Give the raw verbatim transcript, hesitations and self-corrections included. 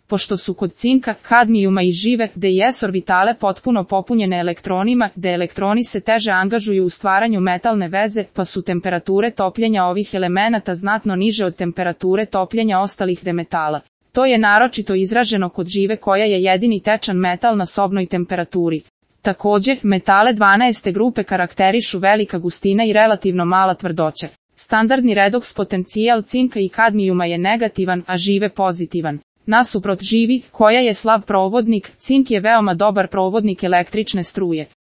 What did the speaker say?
pošto su kod cinka, kadmijuma i žive, gde i s orbitale potpuno popunjene elektronima, gde elektroni se teže angažuju u stvaranju metalne veze, pa su temperature topljenja ovih elemenata znatno niže od temperature topljenja ostalih demetala. To je naročito izraženo kod žive koja je jedini tečan metal na sobnoj temperaturi. Takođe, metale dvanaeste grupe karakterišu velika gustina i relativno mala tvrdoća. Standardni redoks potencijal cinka i kadmijuma je negativan, a žive pozitivan. Nasuprot živi, koja je slab provodnik, cink je veoma dobar provodnik električne struje.